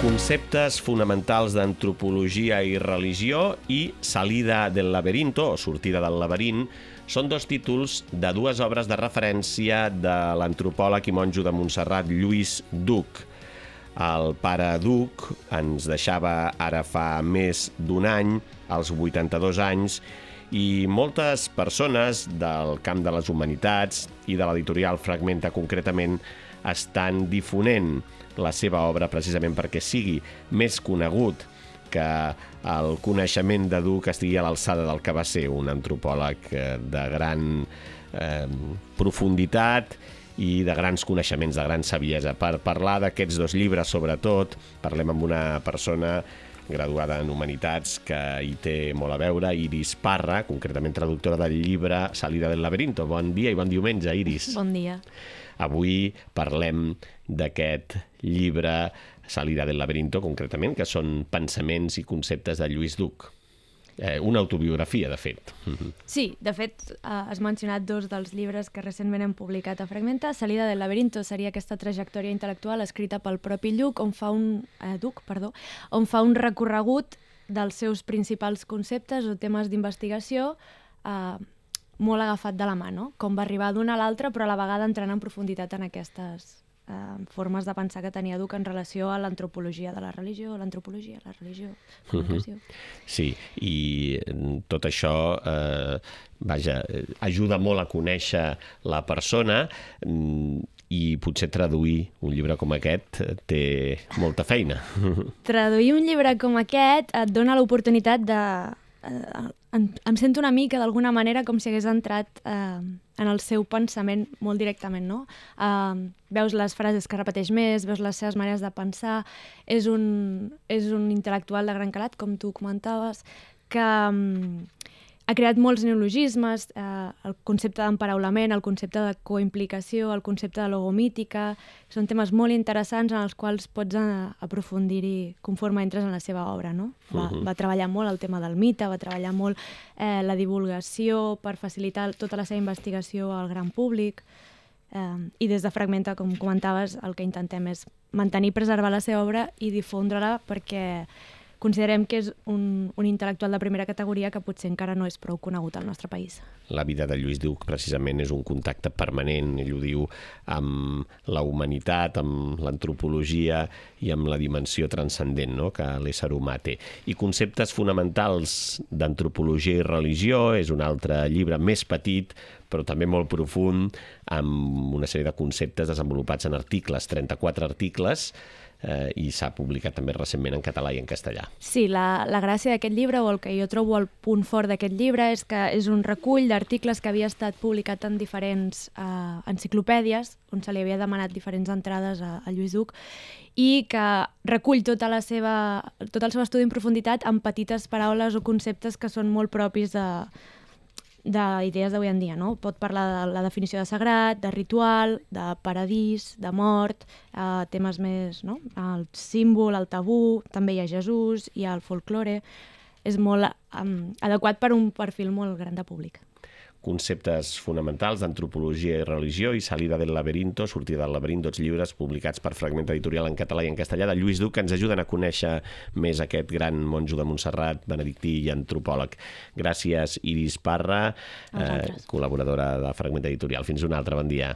Conceptes fonamentals d'antropologia i religió i Salida del laberinto, o Sortida del laberint, són dos títols de dues obres de referència de l'antropòleg i monjo de Montserrat Lluís Duc. El pare Duc ens deixava ara fa més d'un any, als 82 anys, i moltes persones del camp de les humanitats i de l'editorial Fragmenta concretament estan difonent la seva obra precisament perquè sigui més conegut, que el coneixement de Duc estigui a l'alçada del que va ser un antropòleg de gran profunditat i de grans coneixements, de gran saviesa. Per parlar d'aquests dos llibres, sobretot, parlem amb una persona graduada en Humanitats que hi té molt a veure, Iris Parra, concretament traductora del llibre Salida del laberinto. Bon dia i bon diumenge, Iris. Bon dia. Avui parlem d'aquest llibre Salida del laberinto, concretament, que són pensaments i conceptes de Lluís Duc. Una autobiografia, de fet. Sí, de fet, has mencionat dos dels llibres que recentment hem publicat a Fragmenta. Salida del laberinto seria aquesta trajectòria intel·lectual escrita pel propi Duc, on fa un recorregut dels seus principals conceptes o temes d'investigació molt agafat de la mà, no? Com va arribar d'una a l'altra, però a la vegada entrant en profunditat en aquestes formes de pensar que tenia Duc en relació a l'antropologia de la religió, comunicació. Sí, i tot això ajuda molt a conèixer la persona i potser traduir un llibre com aquest té molta feina. Traduir un llibre com aquest et dona l'oportunitat de... Em sento una mica, d'alguna manera, com si hagués entrat en el seu pensament molt directament, no? Veus les frases que repeteix més, veus les seves maneres de pensar. És un intel·lectual de gran calat, com tu comentaves, que ha creat molts neologismes, el concepte d'emparaulament, el concepte de coimplicació, el concepte de logomítica. Són temes molt interessants en els quals pots aprofundir-hi conforme entres en la seva obra, no? Va treballar molt el tema del mite, va treballar molt la divulgació per facilitar tota la seva investigació al gran públic. I des de Fragmenta, com comentaves, el que intentem és mantenir i preservar la seva obra i difondre-la perquè considerem que és un intel·lectual de primera categoria que potser encara no és prou conegut al nostre país. La vida de Lluís Duc precisament és un contacte permanent, ell ho diu, amb la humanitat, amb l'antropologia i amb la dimensió transcendent, no?, que l'ésser humà té. I Conceptes fonamentals d'antropologia i religió és un altre llibre més petit, però també molt profund, amb una sèrie de conceptes desenvolupats en articles, 34 articles, i s'ha publicat també recentment en català i en castellà. Sí, la gràcia d'aquest llibre, o el que jo trobo el punt fort d'aquest llibre, és que és un recull d'articles que havia estat publicat en diferents enciclopèdies, on se li havia demanat diferents entrades a Lluís Duc, i que recull tot el seu estudi en profunditat amb petites paraules o conceptes que són molt propis d'idees d'avui en dia, no? Pot parlar de la definició de sagrat, de ritual, de paradís, de mort, temes més, no? El símbol, el tabú, també hi ha Jesús, hi ha el folklore. És molt adequat per un perfil molt gran de públic. Conceptes fonamentals d'antropologia i religió i Salida del laberinto, Sortida del laberint, dos llibres publicats per Fragmenta Editorial en català i en castellà de Lluís Duc, que ens ajuden a conèixer més aquest gran monjo de Montserrat, benedictí i antropòleg. Gràcies, Iris Parra, col·laboradora de Fragmenta Editorial. Fins una altra, bon dia.